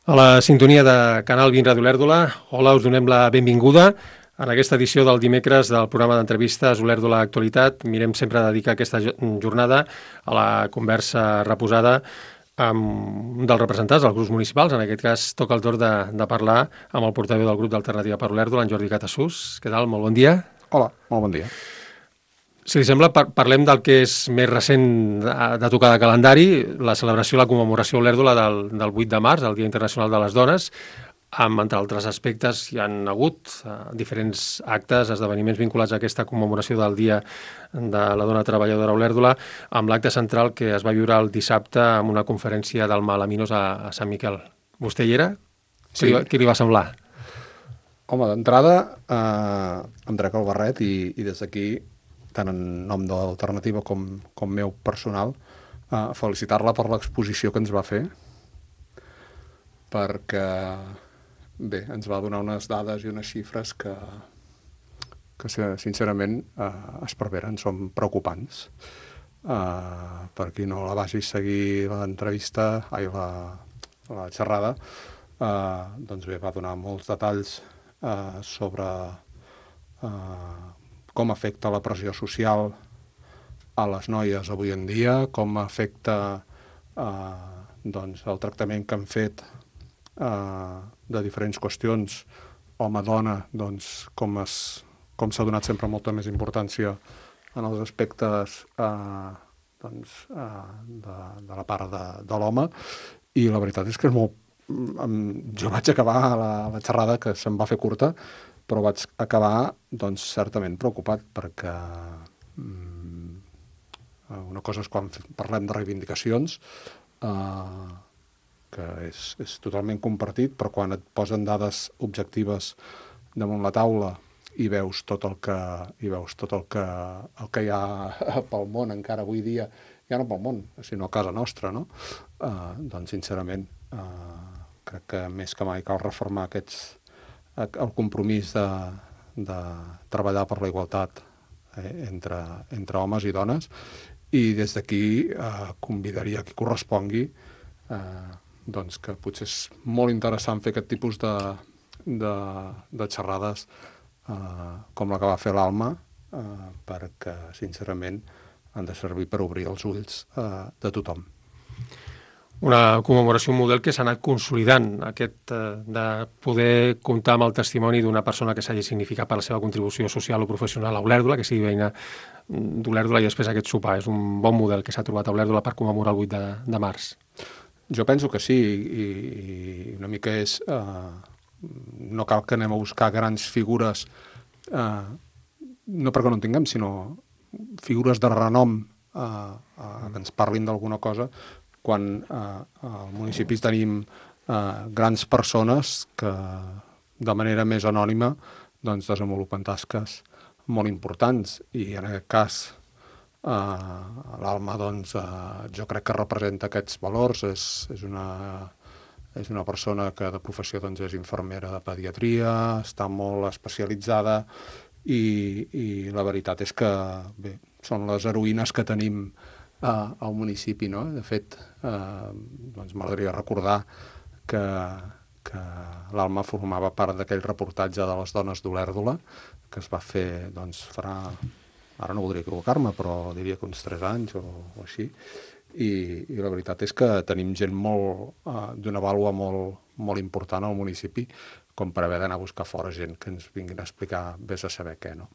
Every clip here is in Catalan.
A la sintonia de Canal 20 Ràdio Olèrdola, hola, us donem la benvinguda en aquesta edició del dimecres del programa d'entrevistes Olèrdola Actualitat. Mirem sempre dedicar aquesta jornada a la conversa reposada amb un dels representants dels grups municipals. En aquest cas toca el torn de parlar amb el portaveu del grup d'Alternativa per Olèrdola, en Jordi Catassús. Què tal? Molt bon dia. Hola, molt bon dia. Si li sembla, parlem del que és més recent de tocar de calendari, la celebració i la commemoració a Olèrdola del 8 de març, el Dia Internacional de les Dones, amb, entre altres aspectes, hi han hagut diferents actes, esdeveniments vinculats a aquesta commemoració del Dia de la Dona Treballadora a Olèrdola, amb l'acte central que es va viure el dissabte amb una conferència del Malaminos a Sant Miquel. Vostè hi era? Sí. Què li va semblar? Home, d'entrada, em trec el barret i des d'aquí, tant en nom de l'Alternativa com meu personal, felicitar-la per l'exposició que ens va fer, perquè, bé, ens va donar unes dades i unes xifres que sincerament, esparveren, són preocupants. Per qui no la vagi seguir l'entrevista, la xerrada, doncs bé, va donar molts detalls sobre com afecta la pressió social a les noies avui en dia, com afecta doncs, el tractament que han fet de diferents qüestions home-dona, doncs, com s'ha donat sempre molta més importància en els aspectes doncs, de la part de l'home, i la veritat és que és molt... Jo vaig acabar la xerrada, que se'm va fer curta, però vaig acabar, doncs, certament preocupat, perquè una cosa és quan parlem de reivindicacions, que és totalment compartit, però quan et posen dades objectives damunt la taula i veus tot el que hi ha pel món encara avui dia, ja no pel món, sinó a casa nostra, no? Doncs, sincerament, crec que més que mai cal reformar el compromís de treballar per la igualtat entre homes i dones, i des d'aquí convidaria a qui correspongui doncs que potser és molt interessant fer aquest tipus de xerrades com la que va fer l'Alma, perquè sincerament han de servir per obrir els ulls de tothom. Una commemoració, un model que s'ha anat consolidant, aquest de poder comptar amb el testimoni d'una persona que s'hagi significat per la seva contribució social o professional a Olèrdola, que sigui veïna d'Olèrdola, i després aquest sopar. És un bon model que s'ha trobat a Olèrdola per commemorar el 8 de març. Jo penso que sí, i una mica és... no cal que anem a buscar grans figures, no perquè no en tinguem, sinó figures de renom que ens parlin d'alguna cosa, quan al municipi tenim grans persones que de manera més anònima doncs, desenvolupen tasques molt importants, i en aquest cas l'Alma doncs, jo crec que representa aquests valors. És una persona que de professió doncs, és infermera de pediatria, està molt especialitzada, i la veritat és que bé, són les heroïnes que tenim al municipi, no? De fet, doncs m'agradaria recordar que l'Alma formava part d'aquell reportatge de les dones d'Olèrdola, que es va fer, doncs, farà... Ara no voldria equivocar-me, però diria que uns 3 anys o així. I la veritat és que tenim gent d'una vàlua molt important al municipi, com per haver d'anar a buscar fora gent que ens vinguin a explicar vés a saber què, no?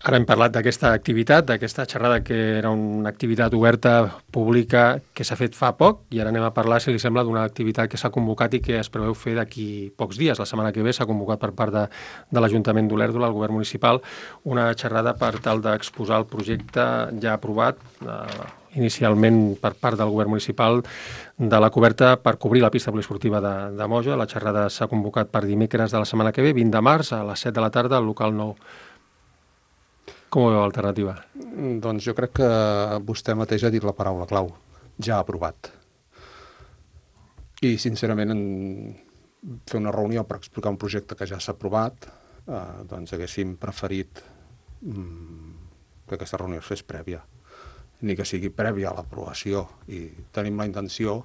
Ara hem parlat d'aquesta activitat, d'aquesta xerrada que era una activitat oberta, pública, que s'ha fet fa poc, i ara anem a parlar, si li sembla, d'una activitat que s'ha convocat i que es preveu fer d'aquí pocs dies. La setmana que ve s'ha convocat per part de l'Ajuntament d'Olèrdola, el govern municipal, una xerrada per tal d'exposar el projecte ja aprovat inicialment per part del govern municipal de la coberta per cobrir la pista poliesportiva de Moja. La xerrada s'ha convocat per dimecres de la setmana que ve, 20 de març, a les 7 de la tarda, al local 9. Com ho veu l'Alternativa? Doncs jo crec que vostè mateix ha dit la paraula clau, ja aprovat. I sincerament fer una reunió per explicar un projecte que ja s'ha aprovat, doncs haguéssim preferit que aquesta reunió es fes prèvia, ni que sigui prèvia a l'aprovació, i tenim la intenció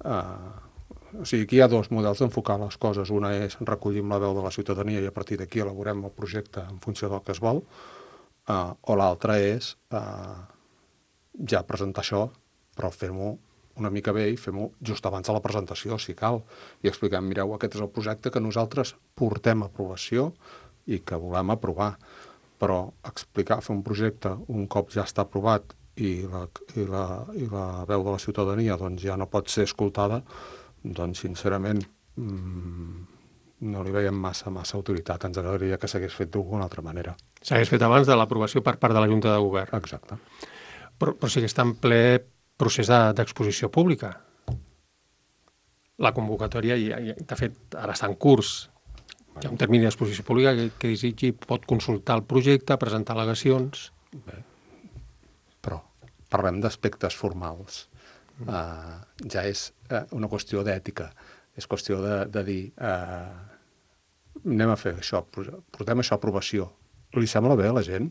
O sigui, aquí hi ha dos models d'enfocar les coses. Una és recollir la veu de la ciutadania i a partir d'aquí elaborem el projecte en funció del que es vol, o l'altra és ja presentar això, però fem-ho una mica bé i fem-ho just abans de la presentació, si cal, i expliquem, mireu, aquest és el projecte que nosaltres portem a aprovació i que volem aprovar. Però explicar, fer un projecte un cop ja està aprovat i la veu de la ciutadania doncs, ja no pot ser escoltada, doncs, sincerament, no li veiem massa utilitat. Ens agradaria que s'hagués fet d'alguna altra manera. S'hagués fet abans de l'aprovació per part de la Junta de Govern. Exacte. Però sí que està en ple procés d'exposició pública. La convocatòria, de fet, ara està en curs. Hi ha un termini d'exposició pública que desitgi pot consultar el projecte, presentar al·legacions. Bé, però parlem d'aspectes formals. Ja és una qüestió d'ètica, és qüestió de dir anem a fer això, portem això a aprovació. Li sembla bé a la gent?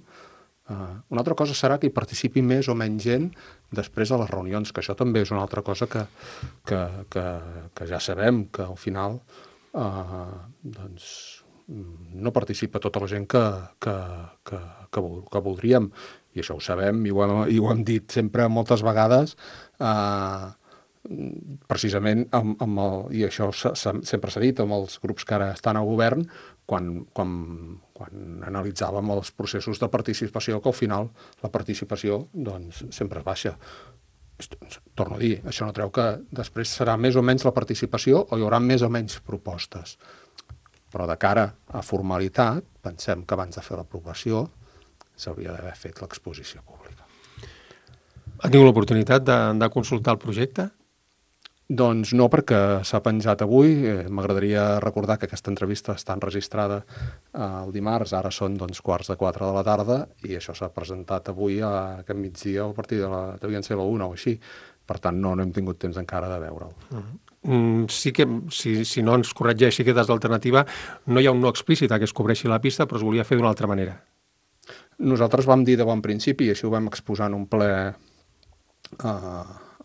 Una altra cosa serà que hi participi més o menys gent després de les reunions, que això també és una altra cosa que ja sabem, que al final doncs no participa tota la gent que voldríem. I això ho sabem i ho hem dit sempre moltes vegades, precisament i això sempre s'ha dit amb els grups que ara estan al govern, quan analitzàvem els processos de participació, que al final la participació doncs, sempre és baixa. Torno a dir, això no treu que després serà més o menys la participació o hi haurà més o menys propostes. Però de cara a formalitat, pensem que abans de fer l'aprovació s'hauria d'haver fet l'exposició pública. Ha tingut l'oportunitat de consultar el projecte? Doncs no, perquè s'ha penjat avui. M'agradaria recordar que aquesta entrevista està enregistrada el dimarts, ara són 3:45 de la tarda, i això s'ha presentat avui a aquest migdia a partir devien ser la 1 o així. Per tant, no hem tingut temps encara de veure'l. Sí que, si no ens corregeix, sí que des d'alternativa no hi ha un no explícit a que es cobreixi la pista, però es volia fer d'una altra manera. Nosaltres vam dir de bon principi, i així ho vam exposar en un ple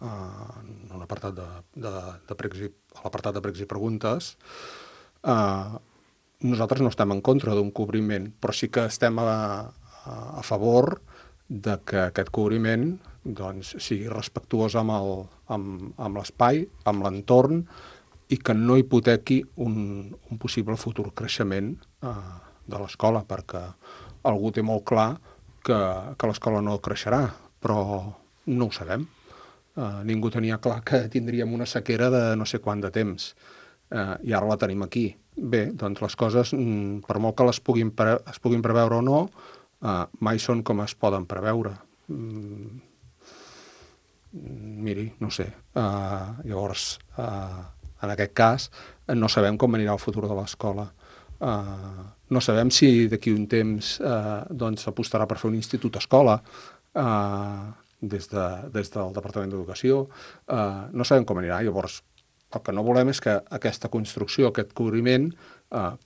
en un apartat l'apartat de pregs i preguntes. Nosaltres no estem en contra d'un cobriment, però sí que estem a favor de que aquest cobriment doncs, sigui respectuós amb l'espai, amb l'entorn, i que no hipotequi un possible futur creixement de l'escola, perquè algú té molt clar que l'escola no creixerà, però no ho sabem. Ningú tenia clar que tindríem una sequera de no sé quant de temps, i ara la tenim aquí. Bé, doncs les coses, per molt que es puguin preveure o no, mai són com es poden preveure. Miri, no sé. Llavors, en aquest cas, no sabem com anirà el futur de l'escola. No sabem si d'aquí un temps s'apostarà per fer un institut-escola des del Departament d'Educació. No sabem com anirà. Llavors, el que no volem és que aquesta construcció, aquest cobriment,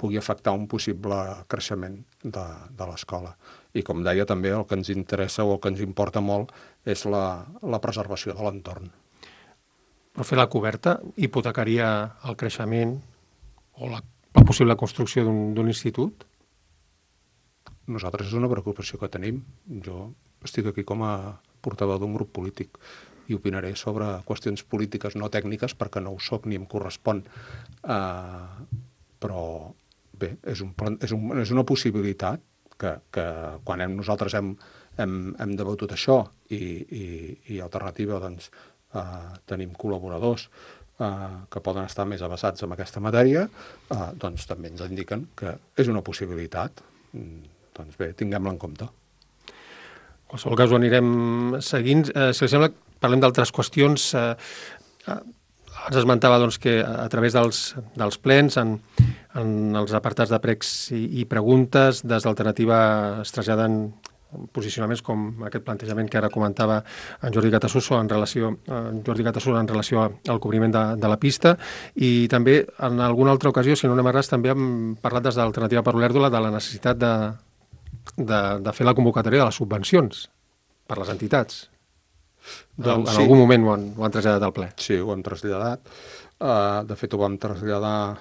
pugui afectar un possible creixement de l'escola. I com deia, també el que ens interessa o el que ens importa molt és la preservació de l'entorn. Però fer la coberta hipotecaria el creixement o la possible construcció d'un institut? Nosaltres és una preocupació que tenim. Jo estic aquí com a portaveu d'un grup polític i opinaré sobre qüestions polítiques no tècniques perquè no ho soc ni em correspon. Però bé, és una possibilitat que quan nosaltres hem debatut això i alternativa doncs, tenim col·laboradors que poden estar més avesats en aquesta matèria, doncs també ens indiquen que és una possibilitat. Doncs bé, tinguem-la en compte. En qualsevol cas ho anirem seguint. Si li sembla, parlem d'altres qüestions. Ens esmentava doncs, que a través dels plens, en els apartats de pregs i preguntes, des d'Alternativa es traslladen posicionaments com aquest plantejament que ara comentava en Jordi Catassuso en relació al cobriment de la pista, i també en alguna altra ocasió, si no anem errats, també hem parlat des d'Alternativa per l'Olèrdola de la necessitat de fer la convocatòria de les subvencions per les entitats. En algun moment ho han traslladat al ple. Sí, ho hem traslladat. De fet, ho vam traslladar,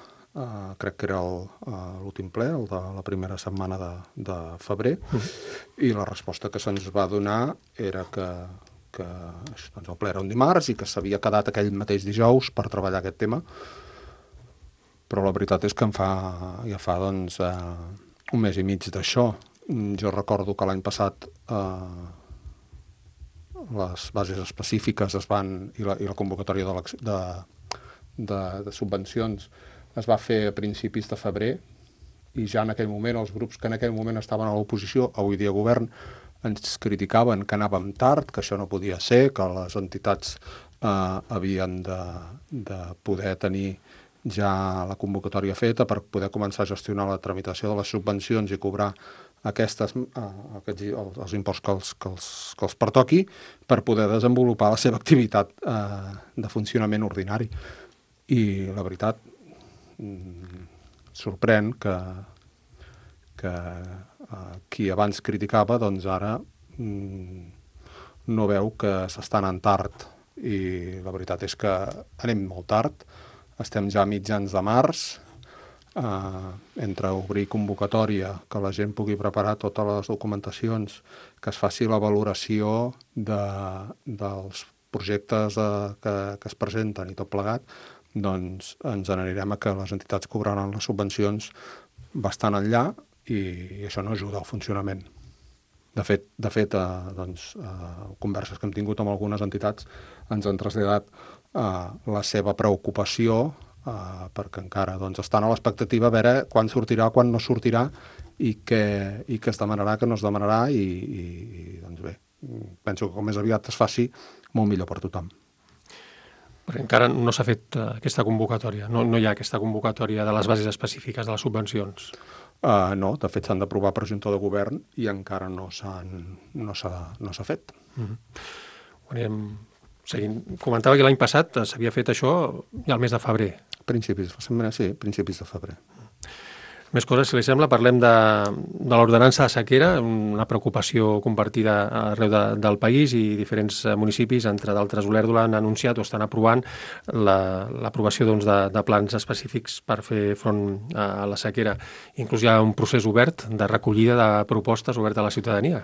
crec que era l'últim ple, el de la primera setmana de febrer, i la resposta que se'ns va donar era que doncs el ple era un dimarts i que s'havia quedat aquell mateix dijous per treballar aquest tema, però la veritat és que ja fa doncs, un mes i mig d'això. Jo recordo que l'any passat les bases específiques i la convocatòria de subvencions es va fer a principis de febrer, i ja en aquell moment els grups que en aquell moment estaven a l'oposició, avui dia govern, ens criticaven que anàvem tard, que això no podia ser, que les entitats havien de poder tenir ja la convocatòria feta per poder començar a gestionar la tramitació de les subvencions i cobrar els imports que els pertoqui per poder desenvolupar la seva activitat de funcionament ordinari. I la veritat, sorprèn que qui abans criticava, doncs ara no veu que s'està anant tard. I la veritat és que anem molt tard. Estem ja a mitjans de març. Entre obrir convocatòria, que la gent pugui preparar totes les documentacions, que es faci la valoració dels projectes que es presenten i tot plegat, doncs ens n'anirem a que les entitats cobraran les subvencions bastant enllà, i això no ajuda al funcionament. De fet, converses que hem tingut amb algunes entitats ens han traslladat la seva preocupació, perquè encara estan a l'expectativa a veure quan sortirà, quan no sortirà, i què es demanarà, què no es demanarà, i doncs bé, penso que com més aviat es faci, molt millor per tothom. Perquè encara no s'ha fet aquesta convocatòria, no hi ha aquesta convocatòria de les bases específiques de les subvencions. No, de fet s'han d'aprovar per Junta de Govern i encara no s'ha fet. Anirem seguint. Comentava que l'any passat s'havia fet això ja al mes de febrer. Principis de febrer. Més coses, si li sembla, parlem de l'ordenança de sequera, una preocupació compartida arreu del país, i diferents municipis, entre d'altres Olèrdola, han anunciat o estan aprovant l'aprovació de plans específics per fer front a la sequera. Inclús hi ha un procés obert de recollida de propostes obert a la ciutadania.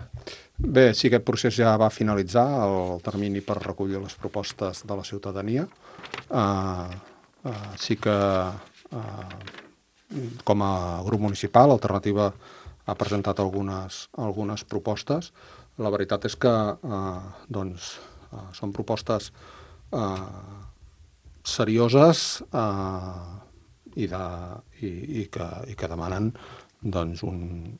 Bé, sí, aquest procés ja va finalitzar, el termini per recollir les propostes de la ciutadania. Sí que com a grup municipal, Alternativa ha presentat algunes propostes. La veritat és que són propostes serioses i que demanen un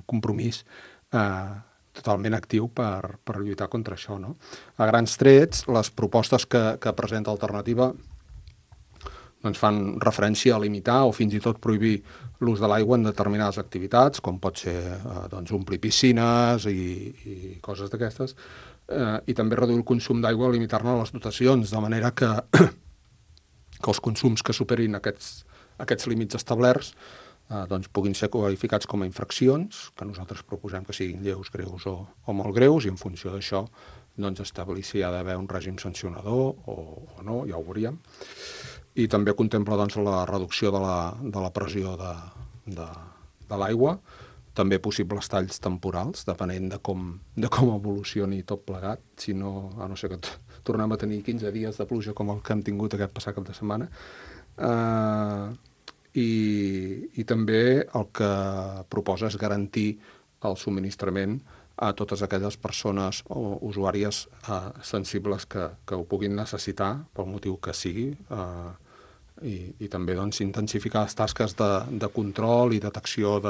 compromís totalment actiu per lluitar contra això, no? A grans trets, les propostes que presenta Alternativa fan referència a limitar o fins i tot prohibir l'ús de l'aigua en determinades activitats, com pot ser omplir piscines i coses d'aquestes, i també reduir el consum d'aigua, limitar-ne les dotacions, de manera que els consums que superin aquests límits establerts puguin ser qualificats com a infraccions, que nosaltres proposem que siguin lleus, greus o molt greus, i en funció d'això establir si hi ha d'haver un règim sancionador o no, ja ho veuríem. I també contempla la reducció de la pressió de l'aigua, també possibles talls temporals, depenent de com evolucioni tot plegat, a no ser que tornem a tenir 15 dies de pluja com el que hem tingut aquest passat cap de setmana. I també el que proposa és garantir el subministrament a totes aquelles persones o usuàries sensibles que ho puguin necessitar, pel motiu que sigui, i també intensificar les tasques de control i detecció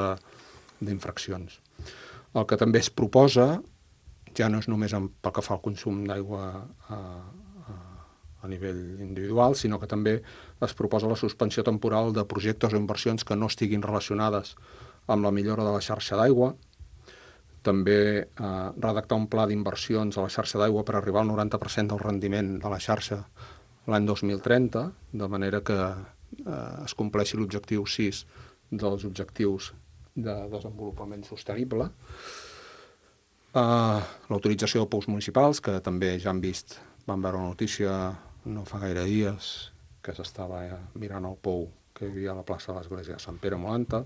d'infraccions. El que també es proposa ja no és només pel que fa al consum d'aigua a nivell individual, sinó que també es proposa la suspensió temporal de projectes o inversions que no estiguin relacionades amb la millora de la xarxa d'aigua. També redactar un pla d'inversions a la xarxa d'aigua per arribar al 90% del rendiment de la xarxa l'any 2030, de manera que es compleixi l'objectiu 6 dels objectius de desenvolupament sostenible. L'autorització de pous municipals, que també ja han vist, van veure una notícia no fa gaire dies, que s'estava mirant el pou que hi havia a la plaça de l'Església de Sant Pere Molanta.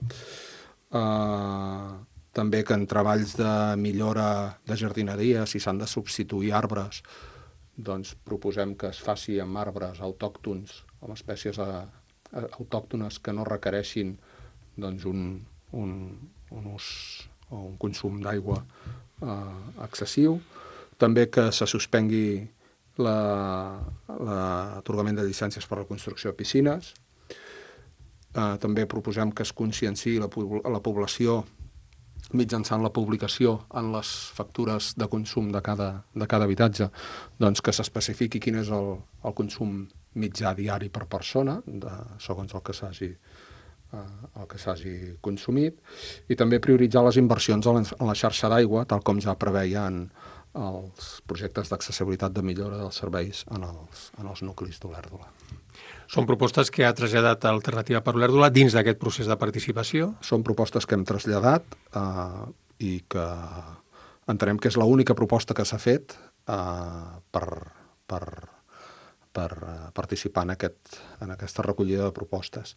També que en treballs de millora de jardineria, si s'han de substituir arbres, doncs proposem que es faci amb arbres autòctons, amb espècies autòctones que no requereixin doncs, un ús o un consum d'aigua excessiu. També que se suspengui l'atorgament de llicències per a la construcció de piscines. També proposem que es conscienciï la població mitjançant la publicació en les factures de consum de cada habitatge, doncs que s'especifiqui quin és el consum mitjà diari per persona, segons el que s'hagi consumit, i també prioritzar les inversions en la xarxa d'aigua, tal com ja preveien els projectes d'accessibilitat de millora dels serveis en els nuclis d'Olèrdola. Són propostes que ha traslladat Alternativa per Olèrdola dins d'aquest procés de participació? Són propostes que hem traslladat i que entenem que és l'única proposta que s'ha fet per participar en aquesta recollida de propostes.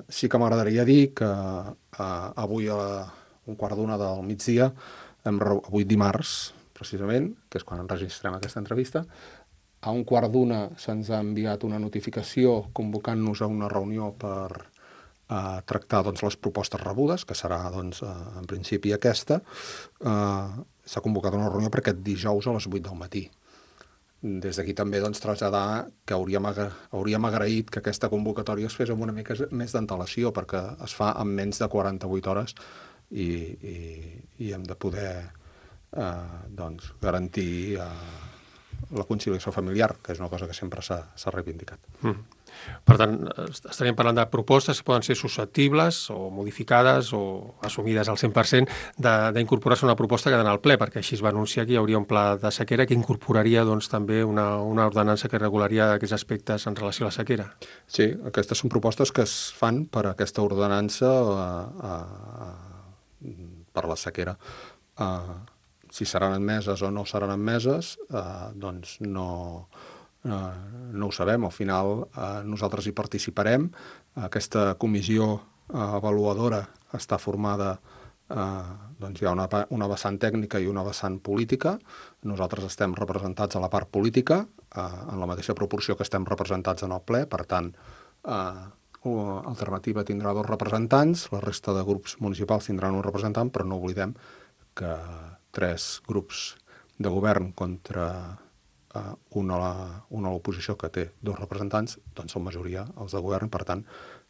Sí que m'agradaria dir que avui a un quart d'una del migdia, avui dimarts, precisament, que és quan enregistrem aquesta entrevista, a un quart d'una se'ns ha enviat una notificació convocant-nos a una reunió per tractar les propostes rebudes, que serà en principi aquesta. S'ha convocat una reunió per aquest dijous a les 8 del matí. Des d'aquí també traslladar que hauríem agraït que aquesta convocatòria es fes amb una mica més d'antelació, perquè es fa en menys de 48 hores i hem de poder garantir la conciliació familiar, que és una cosa que sempre s'ha reivindicat. Per tant, estaríem parlant de propostes que poden ser susceptibles o modificades o assumides al 100% d'incorporar-se una proposta que ha d'anar al ple, perquè així es va anunciar que hi hauria un pla de sequera que incorporaria també una ordenança que regularia aquests aspectes en relació a la sequera. Sí, aquestes són propostes que es fan per aquesta ordenança per la sequera. Si seran admeses o no seran admeses, doncs no ho sabem. Al final nosaltres hi participarem. Aquesta comissió avaluadora està formada, hi ha una vessant tècnica i una vessant política. Nosaltres estem representats a la part política, en la mateixa proporció que estem representats en el ple. Per tant, Alternativa tindrà 2 representants, la resta de grups municipals tindran un representant, però no oblidem que 3 grups de govern contra un a l'oposició que té 2 representants, doncs són majoria els de govern, per tant,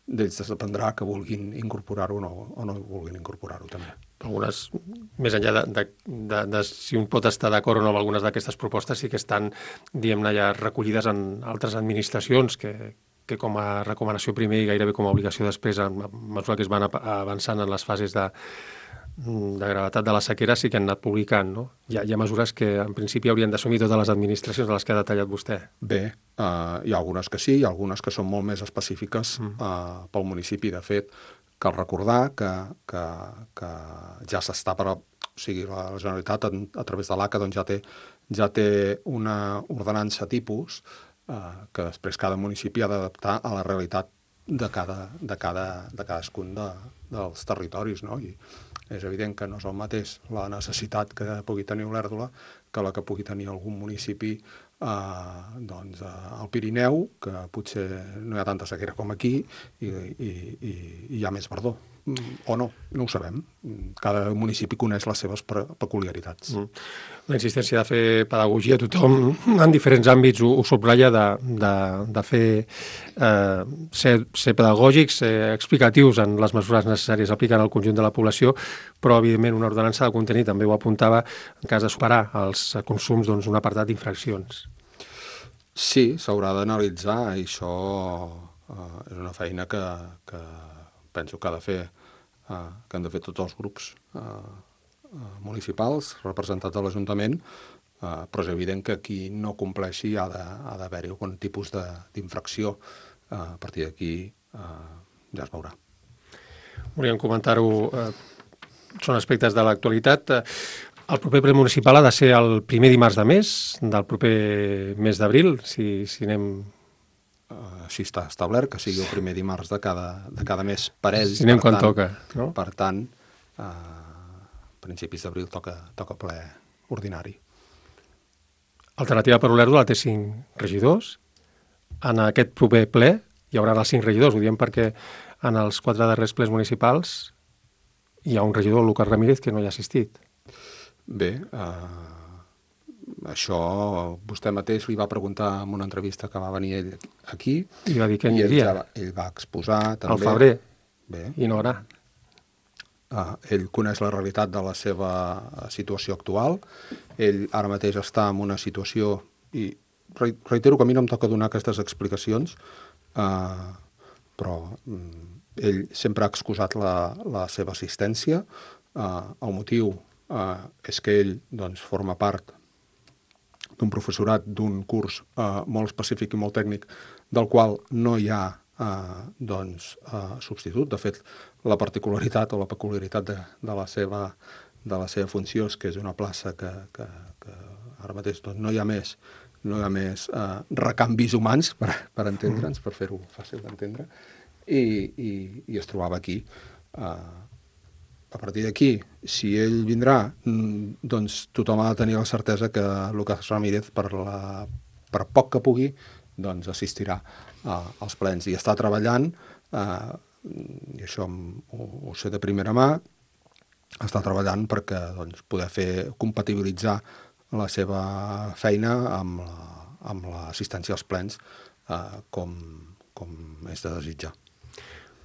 d'ells dependrà que vulguin incorporar-ho o no vulguin incorporar-ho també. Algunes, més enllà de si un pot estar d'acord o no amb algunes d'aquestes propostes, sí que estan, diguem-ne, ja recollides en altres administracions que com a recomanació primer i gairebé com a obligació després, a mesura que es van avançant en les fases de gravetat de la sequera, sí que han anat publicant, no? Hi ha mesures que en principi haurien d'assumir totes les administracions de les que ha detallat vostè. Bé, hi ha algunes que sí, hi ha algunes que són molt més específiques pel municipi. De fet, cal recordar que ja s'està o sigui, la Generalitat a través de l'ACA ja té una ordenança tipus que després cada municipi ha d'adaptar a la realitat de cadascun dels territoris, no? I és evident que no és el mateix la necessitat que pugui tenir Olèrdola que la que pugui tenir algun municipi al Pirineu, que potser no hi ha tanta sequera com aquí i hi ha més verdor. O no ho sabem. Cada municipi coneix les seves peculiaritats. La insistència de fer pedagogia a tothom en diferents àmbits ho subratlla de fer ser pedagògics, ser explicatius en les mesures necessàries aplicant al conjunt de la població, però evidentment una ordenança ha de contenir, també ho apuntava, en cas de superar els consums, un apartat d'infraccions. Sí, s'haurà d'analitzar i això és una feina que penso que han de fer tots els grups municipals representats a l'Ajuntament, però és evident que qui no compleixi ha d'haver-hi algun tipus d'infracció. A partir d'aquí ja es veurà. Volíem comentar-ho, són aspectes de l'actualitat. El proper ple municipal ha de ser el primer dimarts de mes, del proper mes d'abril, si anem... Així està establert, que sigui el primer dimarts de cada mes per ells. Si anem quan toca, no? Per tant, a principis d'abril toca ple ordinari. Alternativa per Olèrdola té 5 regidors. En aquest proper ple hi haurà els 5 regidors. Ho diem perquè en els 4 darrers plens municipals hi ha un regidor, el Lucas Ramírez, que no hi ha assistit. Bé, això vostè mateix li va preguntar en una entrevista que va venir ell aquí. I va dir que n'hi havia. Ell va exposar també... Al febrer. Bé. I no ara. Ell coneix la realitat de la seva situació actual. Ell ara mateix està en una situació, i reitero que a mi no em toca donar aquestes explicacions, però ell sempre ha excusat la seva assistència. El motiu és que ell doncs, forma part d'un professorat d'un curs molt específic i molt tècnic, del qual no hi ha substitut. De fet, la particularitat o la peculiaritat de la seva funció és que és una plaça que ara mateix doncs, no hi ha més recanvis humans, per entendre'ns, per fer-ho fàcil d'entendre, i es trobava aquí. A partir d'aquí, si ell vindrà, doncs tothom ha de tenir la certesa que Lucas Ramírez, per poc que pugui, doncs assistirà als plens i està treballant, i això ho sé de primera mà, està treballant perquè doncs, poder compatibilitzar la seva feina amb l'assistència als plens com és de desitjar.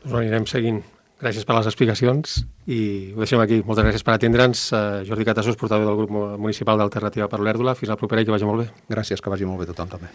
Doncs ho anirem seguint. Gràcies per les explicacions i ho deixem aquí. Moltes gràcies per atendre'ns. Jordi Catassos, portaveu del grup municipal d'Alternativa per Olèrdola. Fins la propera i que vagi molt bé. Gràcies, que vagi molt bé tothom també.